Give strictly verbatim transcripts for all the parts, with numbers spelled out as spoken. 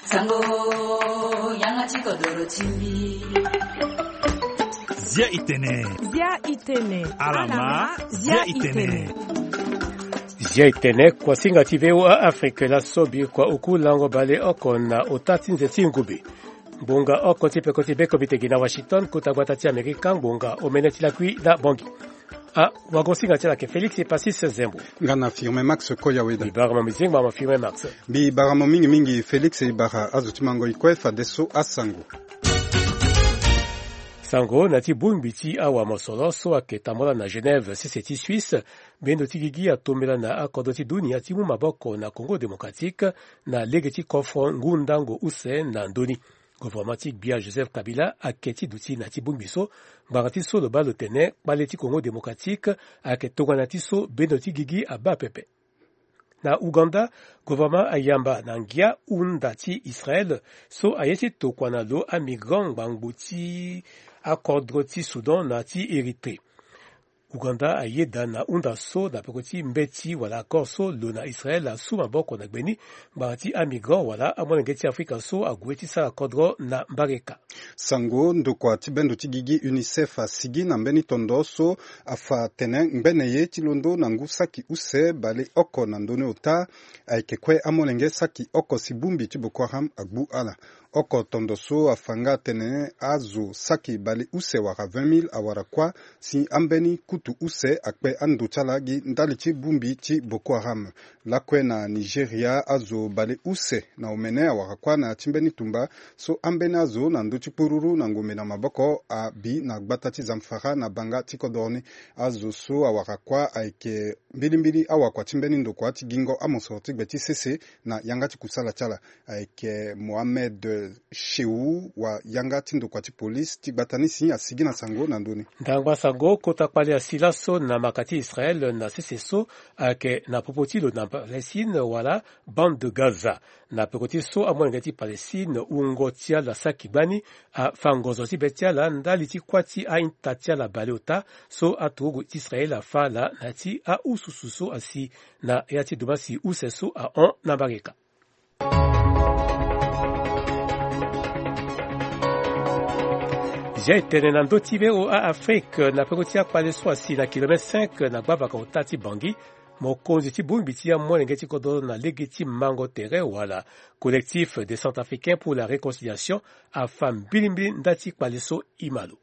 Sango, yanga ti kodoro ti mbi. Zia itene. Zia itene. Alama, zia itene. Zia itene, kuasinga ti V O A Afrique, laso bikua oku lango bale oko na ota ti nze ti ngumbi. Ngbonga oko ti peko ti be komite gi na Washington, kota gbata ti Amerika, ngbonga omene ti lakui na Bangui. Ah, wagosinga ti ala ke Félix Epasis Zembo. Nga na Firmin Max Koyaweda. Bibara ma mizengba ma Firmin Max. Bibara ma mingi mingi Félix, bibara azo ti mango ikue fadeso asango. Sango na ti bongbi ti awa mosoro so ayeke tambula na Genève, sese ti Suisse, bendo ti gigi atombela na akodro ti dunia ti mu maboko na Congo Démocratique na lege ti kofro ngu ndango use na ndö ni. Gouvernement ti gbia Joseph Kabila ayeke ti duti na ti bongbi so, ngbanga ti so lo baa lo tene kpale ti Congo Démocratique ayeke tongana ti so bendo ti gigi abaa pepe. Na Ouganda, gouvernement ayamba na ngia hunda ti Israël so aye ti tokua na lo amigrant ngbangbo ti akodro ti Soudan na ti Érythrée. Ouganda ayeda na hunda so na peko ti mbeti wala accord so lo na Israël asu maboko na gbe ni, ngbanga ti amigrant wala amolenge ti Afrika so ague ti sara kodro na mbareka. Sango, ndokua ti bendo ti gigi UNICEF asigi na mbeni tondo so afa tene ngbene ye ti londo na ngu saki use baleoko na ndö ni ota ayeke kue amolenge saki oko si bongbi ti Boko Haram agbu ala. Oko tondo so afa nga atene azo saki baleuse wala vingt mille awara kuâ si ambeni kutu use akpe ando ti ala gi ndali ti bongbi ti Boko Haram. Lakue na Nigeria, azo baleuse na omene awara kuâ na ya ti mbeni tumba so ambeni azo na ndö ti kpururu na ngombe na maboko abi na gbata ti Zamfara na banga ti kodoro ni. Azo so awara kuâ ayeke mbilimbili awakua ti mbeni ndokua ti gingo amosoro ti gbe ti sese na yanga ti kusala ti ala. Ayeke Mohamed Shehu wa yanga ti ndokua ti polise ti gbata ni si asigi na sango na ndö ni. Ndangba sango, kota kpale asi laso na maka ti Israël na sese so ayeke na popo ti lo na Palestine wala Bande de Gaza. Na peko ti so amolenge ti Palestine wungo ti ala saki gbani afa ngonzo ti be ti ala ndali ti kuâ ti a-ita ti ala baleota so aturugu ti Israël afa ala na ya ti aususu so asi na ya ti dumasi use so ahon na mbareka. Zia etene na ndö ti V O A Afrique, na peko ti akpale so asi na kilomètre cinq na gbavaka ota ti Bangui, mokonzi ti bongbi ti amolenge ti kodro na lege ti mango tere wala Collectif des Centrafricains pour la Réconciliation afa mbilimbili nda ti kpale so e ma lo.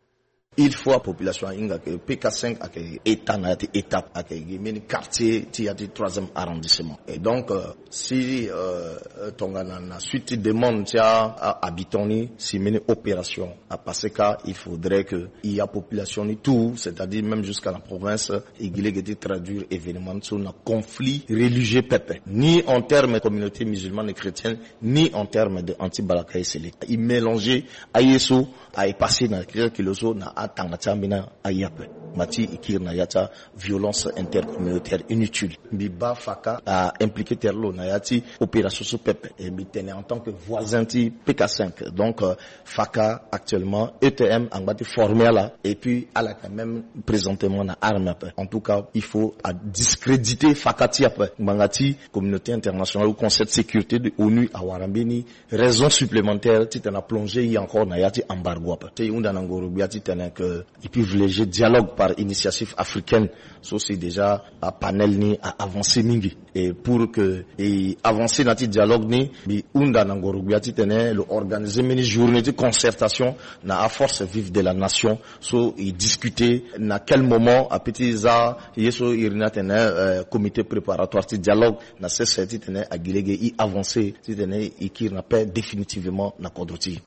Il faut apopulation ahinga ke P K cinq ayeke état na ya ti étape, ayeke gi mbeni quartier ti ya ti troisième arrondissement. Et donc, euh, si, euh, tongana na suite ti demande ti a, a habitant ni, si mbeni opération apasser ka, il faudrait que i apopulation ni tout, c'est-à-dire même jusqu'à la province, i gi lege ti traduire événement so na conflit religieux pepe, ni en terme de communauté musulmane et chrétienne, ni en terme de anti-Balaka et Seleka. I mélanger aye so aye passé na keke kilo so na atanga ti ambeni aye ape. Ngba ti i kiri na ya ti aviolence intercommunautaire inutile. Mbi baa Faka a impliqué tere lo na ya ti opération so pepe. E mbi tene en tant que voisin ti P K cinq. Donc, euh, Faka actuellement, E T M angba ti former ala. Et puis, ala yeke même présentement na arme ape. En tout cas, il faut a discréditer Faka ti ape. Ngbanga ti communauté internationale ou Conseil de sécurité de l'ONU awara mbeni raison supplémentaire titene a plonger ye encore na ya ti embargo ape. Ti e hunda na ngoro gbia titene que i privilégier dialogue par initiative africaine. So si déjà a panel ni a avancer mingi. Et pour que e avancer na ya ti dialogue ni, mbi hunda na ngoro gbia titene lo organiser mbeni journée ti concertation na aforce vive de la nation. So e discuter na quel moment apeut ti za ye so iri ni atene, euh, comité préparatoire ti dialogue na sese titene a gi lege i avancer titene i kiri na paix définitivement na kodro ti e.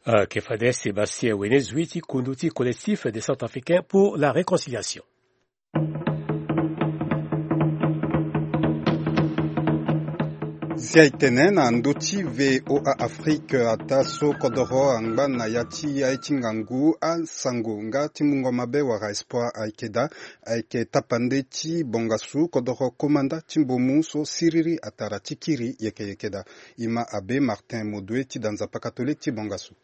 Ah, ke fade Sébastien Wenezui ti kundu ti Collectif des Centrafricains pour la Réconciliation. Zia etene na ndö ti V O A Afrique, ataa so kodoro angba na ya ti aye ti ngangu asango nga ti mungo mabe wala espoir ayeke daa, ayeke tapande ti bongasu kodoro komanda ti mbomu so siriri atara ti kiri yeke yeke daa. E ma Abbé Martin Modoué ti da Nzapa catholique ti bongasu.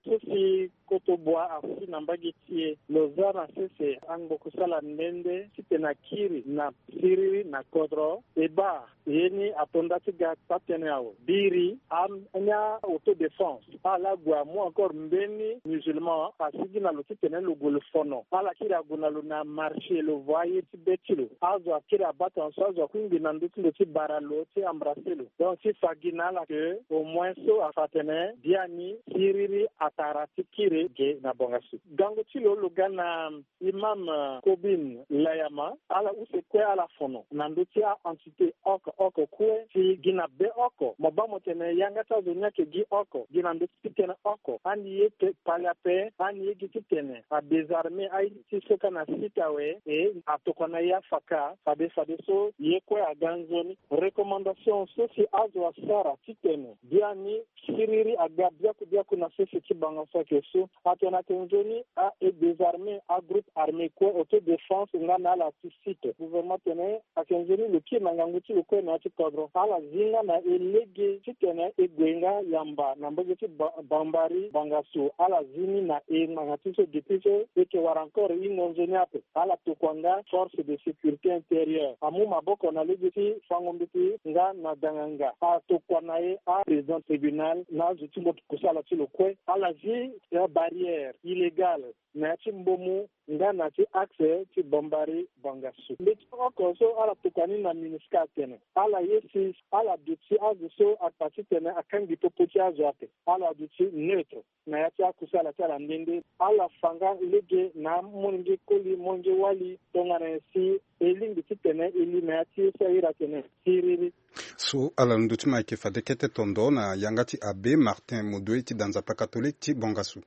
So si Koto bua asi na mbage ti e. Lo za na sese angbo kusala nde nde titene akiri na siriri na kodro. E baa ye ni ato nda ti ga taa tënë awe. Biri ania autodéfense ala gue amu encore mbeni musulman asigi na lo titene lo gue lo fono. Ala kiri ague na lo na marché lo vo aye ti be ti lo. Azo akiri abata na so azo akui ngbi na ndö ti ndo ti bara lo ti embrasser lo. Donc ti fa gi na ala ke au moins so afa atene biani siriri atara ti kiri ge na bongasu. Gango ti lo lo ga na imam Kobin Layama. Ala use kue ala fono na ndö ti a-entité oko oko kue ti gi na be oko. Mo baa mo tene yanga ti azo ni ayeke gi oko gi na ndö ti tënë oko. Ani ye te kpali ape. Ani ye gi titene adésarmer aye ti so ka na site awe. E atokua na ye afaka fade fade so ye kue aga nzoni. Recommandation so si azo asara titene biani siriri aga biaku biaku na sese ti banga so ayeke so. Atene ayeke nzoni a e désarmer agroupe armé kue autodéfense nga na ala ti site. Gouvernement atene ayeke nzoni lo kiri na ngangu ti lo kue na ya ti kodro. Ala zi nga na e lege titene e gue nga yamba na mbage ti Ba- Bambari Bangasu. Ala zi ni na e ngbanga ti so depuis so e yeke wara encore hingo nzoni ape. Ala tokua nga force de sécurité intérieure amu maboko na lege ti fango mbeti nga na danganga. Atokua na e aprésident tribunal na azo ti mbote kusala ti lo kue. Ala zi barrière illégale na ya ti mbomu nga na ya ti axe ti Bambari Bangasu. Mbeti oko so ala tokua ni na MINUSCA atene ala ye si ala duti azo so akpa titene akangbi popo ti azo ape. Ala duti neutre na ya ti akusala ti ala nde nde. Ala fa nga lege na amolenge koli molenge wali tongana nyen si e lingbi titene e li na ya ti e so ahiri atene siriri. So ala londo ti mo ayeke fade kete tondo na yanga ti abbé Martin Modoe ti da nzapa catholique ti Bangasu.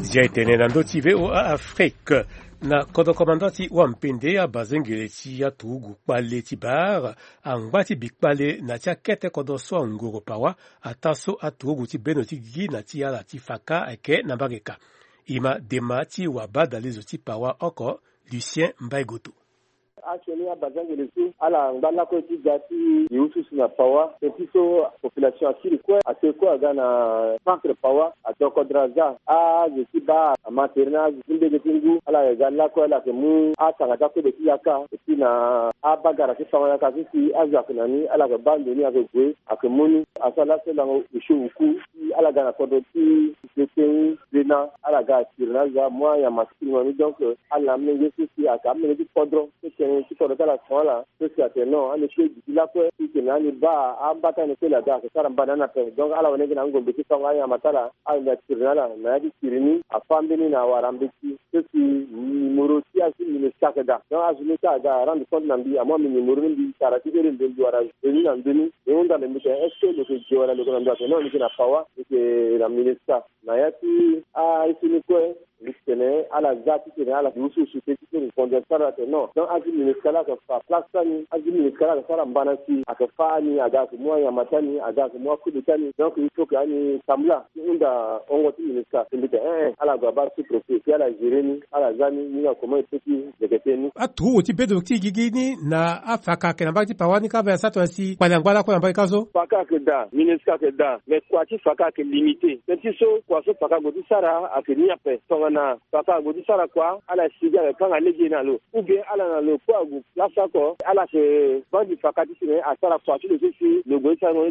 Zia e tene na ndö ti V O A Afrique. Na kodro komanda ti wampende abazengele ti aturugu kpale ti bar angba ti bi kpale na ti akete kodro so angoro pawa ataa so aturugu ti bendo ti gigi na ti ala ti faka ayeke na mbage ka. E ma dema ti wabadalezo ti pawa oko Lucien Mbaye Goto. Asioni abazengele so ala ngba lakue ti ga ti gi ususu na pawa. Teti so population akiri kue ate kue aga na centre pawa ato kodro aza azo ti baa ama tere na azo ti mbege ti ngu ala yeke ga lakue ala yeke mu atanga ti akode ti yaka. Eti na abagara ti fango yaka so si azo ayeke na ni ala yeke baa ndo ni ayeke gue ayeke mu ni. Aso ala so lango osio oku ti ala ga na kodro ti Beteni Bena ala ga atiri na azo amu anyama ti kilima ni. Donc ala na amolenge so si ayeke amolenge ti kodro so tene ti kodro ti ala son ala so si atene non ani kue duti lakue titene ani baa ambata ni kue la ga ayeke sara mbana ni ape. Donc ala wene gi na angombe ti fango anyama ti ala. Ala yeke atiri na ala na ya ti tiri ni afâ mbeni na awara mbeti so si numéro ti azo ti MINUSCA ayeke daa. Donc azo ni kue aga arendre compte na mbi amu ami numéro ni mbi tara ti ere mbi mbi wara venu na ndö ni. E hunda na mbi tene est-ce que lo yeke gue wala lo yeke na ndö? Atene non lo yeke na pawa lo yeke na MINUSCA. Na ya ti aye so ni kue mbi tene ala za titene ala gi ususu te ti so lo yeke konde sara atene non. Donc azo ti MINUSCA la ayeke fa place ti ani azo ti MINUSCA la ayeke sara mbana si ayeke fâ ani aga ayeke mu anyama ti ani aga ayeke mu akode ti ani. Donc il faut que ani tambula ti hunda hongo ti MINUSCA. Mbi tene eh eh ala gue abaa sous-préfet si ala gérer ni ala za ni ni na comment e peut ti. Aturugu ti bedo ti gigi ni na afaka ayeke na mbage ti pawa ni kâ mbi asara tongana si kpali angba lakue na mbage kâ so. Faka ayeke daa MINUSCA ayeke daa mais kua ti faka ayeke limité. Teti so kua so faka ague ti sara ayeke ni ape tongana faka ague ti sara kua ala sigi ayeke kanga lege na lo ou bien ala na lo kue ague place oko ala yeke vandi faka titene asara kua ti lo so si lo gue ti sara ngo.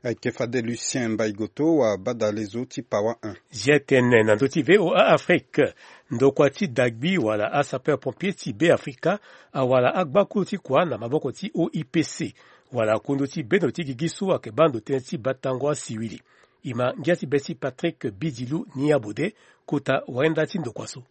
Ayeke fade Lucien Mbaye Goto wabadalezo ti pawa un. Zia e tene na ndö ti V O A Afrique. Ndokua ti dagbi wala asapeur pompier ti Beafrika awara agbakuru ti kua na maboko ti O I P C wala kundu ti bendo ti gigi so ayeke baa ndo tënë ti batango asiwili. E ma ngia ti be ti Patrick Bidilu ni abode kota wayenda ti ndokua so.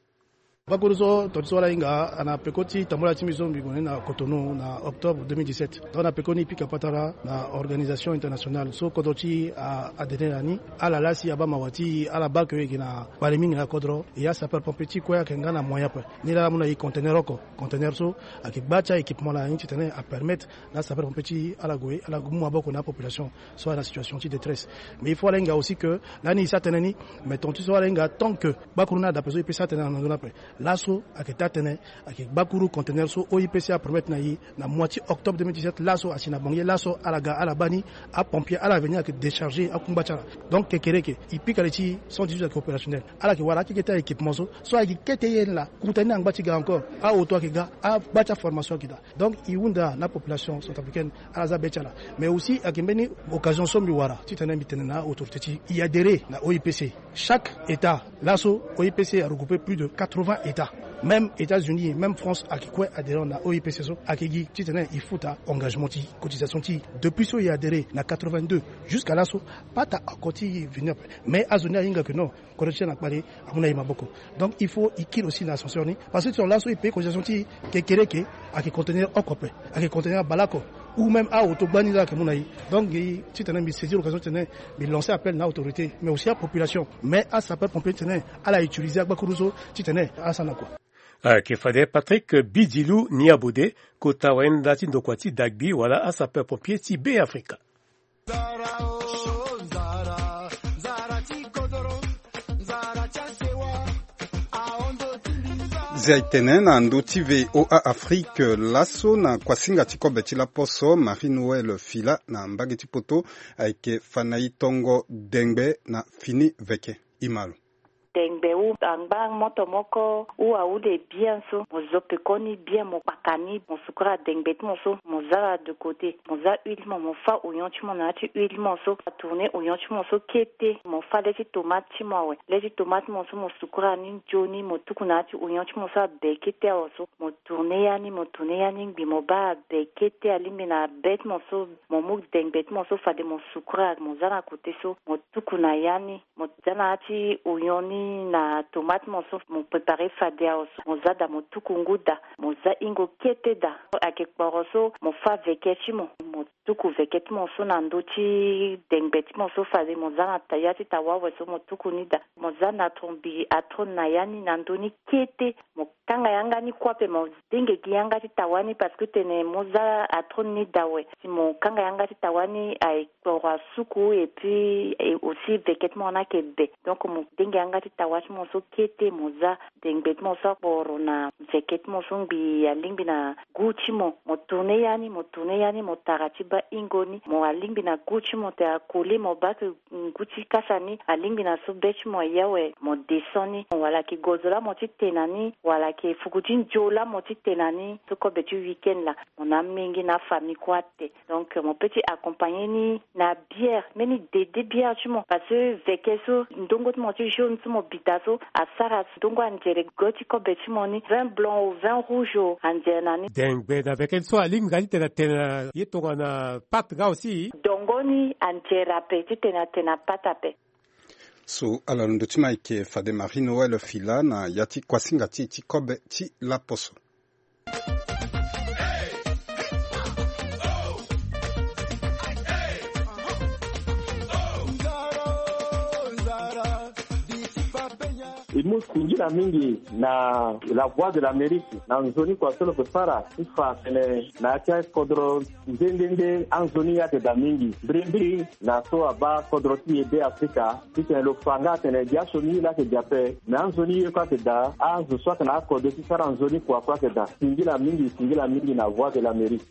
Bakuru so tonga ti so ala hinga ana peko ti tambula ti mbi so mbi gue ni na Cotonou na octobre deux mille dix-sept. Donc na peko ni e pika patara na organisation internationale so kodro ti e a adhérer na ni. Ala laa si abaa mawa ti e ala baa ke e yeke na kpale mingi na kodro. E asapeur pompier ti e kue ayeke nga na moyen ape. Ni laa ala mu na e conteneur oko. Conteneur so ayeke gba ti a équipement laa ni titene apermettre na asapeur pompier ti e ala gue ala mu maboko na apopulation so ayeke na situation ti détresse. Mais il faut ala hinga aussi que lani e sara tënë ni. Mais tonga ti so ala hinga tant que bakuru ni adapre so e peut sara tënë na ndö ni ape. Laso ayeke taa tënë, ayeke gbakuru conteneur so O I P C apromettre na e na mois ti octobre deux mille dix-sept. Laso asi na bangier laso ala ga ala baa ni, apompier ala veni ayeke décharger akungba ti ala. Donc kekereke e pika li ti cent dix-huit ayeke opérationnel. Ala yeke wara akeke ti a-équipement so, so ayeke kete ye ni laa, kuta ni na ngba ti ga encore. Aoto ayeke ga, agba ti aformation ayeke daa. Donc e hunda na population centrafricaine ala za be ti ala. Mais aussi ayeke mbeni occasion so mbi wara titene mbi tene na autorité ti e adhérer na O I P C. Chaque état, laso O I P C aregrouper plus de quatre-vingts états. Même États-Unis, même France ayeke kue adhérent na O I P C so. Ayeke gi titene e futa engagement ti cotisation ti e. Depuis so e adhérer na quatre-vingt-deux jusqu'à laso, pas ta encore ti venu après. Mais azo ni ahinga que non, kodro ti e na kpale amu na e maboko. Donc il faut e kiri aussi na ascenseur ni, parce que ti tongana laso e payer cotisation ti e, kekereke ayeke contenir oko ape, ayeke contenir abale oko, ou même aoto gbani la ayeke mu na e. Donc e, titene mbi saisir occasion titene mbi lancer appel na autorité, mais aussi apopulation, mais asapeur pompier titene ala utiliser agbakuru so titene ala sara na kua. Ayeke fade Patrick Bidilu Niabode, kota wayenda ti ndokua ti dagbi wala asapeur pompier ti Be Afrika. Zia e tene na ndö ti V O A Afrique laso na kuasinga ti kobe ti laposo, Marie Noël Fila na mbage ti poto ayeke fa na e tongo dengbe na fini veke. E ma lo. Dengbe ou angba moto moko ou awu de bien so, mo zo pekoni bien, mo kpaka ni, mo sukura dengbe ti mo so, mo za na de côté, mo za huile ti mo, mo fa oignon ti mo na ya ti huile ti mo so, atourner oignon ti mo so kete, mo fa le ti tomate ti mo awe, le ti tomate ti mo so mo sukura ni nzoni, mo tuku na ya ti oignon ti mo so abe kete awe so, mo tourner ya ni, mo tourner ya ni ngbi, mo baa abe kete alingbi na be ti mo so, mo mu dengbe ti mo so fade mo sukura, mo za na côté so, mo tuku na ya ni. Mo za na ya ti oignon ni na tomate ti mo so mo préparer fade awe so, mo za daa mo tuku ngu daa, mo za hingo kete daa. Ayeke kporo so mo fa veke ti mo, mo tuku veke ti mo so na ndö ti dengbe ti mo so fade mo za na ta-, ya ti tawa awe so mo tuku ni daa. Mo za na tro mbi atro na ya ni na ndö ni kete, mo kanga yanga ni kue ape, mo denge gi yanga ti tawa ni parce que tene mo za atro ni daa awe. Si mo kanga yanga ti tawa ni aye kporo asuku et puis, eh, aussi veke ti mo na ayeke be. Donc mo denge yanga ti tawa ti mo so kete, mo za dengbe ti mo so akporo na veke ti mo so ngbi alingbi na gu ti mo. Mo tourner ya ni, mo tourner ya ni, mo tara ti baa hingo ni. Mo alingbi na gu ti mo te akoli, mo baa ke ngu ti kasa ni alingbi na so be ti mo aye awe, mo descend ni. Wala ayeke gozo laa mo ti te na ni, wala ayeke fuku ti nzio laa mo ti te na ni so kobe ti week-end laa. Mo na amingi na afamille kue ate. Donc mo peut ti accompagner ni na bière, mbeni dede bière ti mo, parce que veke so ndongo ti mo ti jaune so mo bita so asara ndongo anzere go ti kobe ti mo ni, vin blanc o, vin rouge o, anzere na ni. Dengbe na veke so alingbi nga ti tene atene na ye tongana pâte nga aussi. Dongo ni anzere ape ti tene atene na pâte ape. So ala londo ti mo ayeke fade Marie Noël Fila na ya ti kuasinga ti e ti kobe ti laposo. E mu singila mingi na La Voix de l'Amérique na nzoni kua so lo yeke sara ti fa atene na ya ti akodro nde nde nde anzoni ye ayeke daa mingi mbirimbiri na so abaa kodro ti e Be Afrika. Titene lo fa nga atene biaso ni ye laa ayeke daa ape, me anzoni ye kue ayeke daa, azo so ayeke na akode ti sara nzoni kua kue ayeke daa. Singila mingi, singila mingi na Voix de l'Amérique.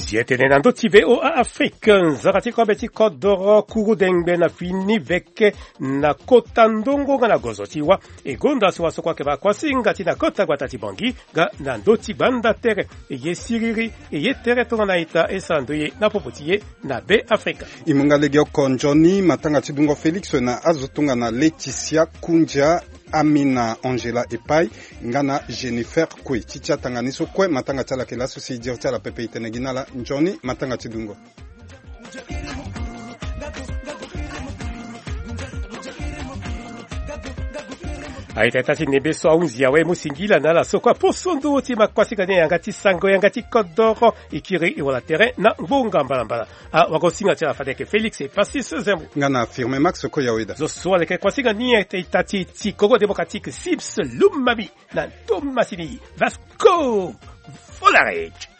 Zi tene na ndö ti V O A Afrique, nzara ti kobe ti kodoro kuru dengbe na fini veke na kota ndongo nga na gozo ti wa. E gonda si wa so kue ayeke baa kuasinga ti na kota gbata ti Bangui nga na ndö ti gbanda tere. E ye siriri, e ye tere tongana ita, e sara ndoye na popo ti e na Be Afrika. E mu nga legeoko nzoni matanga ti dungo Félix na azo tongana Laetitia Kundia, Amina Angela Epai nga na Jennifer Kue. Ti ti atanga ni so kue matanga ti ala ayeke laso si e diri ti ala pepe. E tene gi na ala nzoni matanga ti dungo. Aita ita ti nebe so ahunzi awe, mu singila na ala so kue aposo nduru ti ma kuasinga ni yanga ti sango yanga ti kodoro. E kiri e wala tere na ngbonga mbalambala. Awagosinga ti ala fade ayeke Félix Epasis Zembo nga na Firme Max Koyaweda. Zo so aleke kuasinga ni ita ti ti Congo Démocratique, Sims Lumami na Thomasini Vasco Volarech.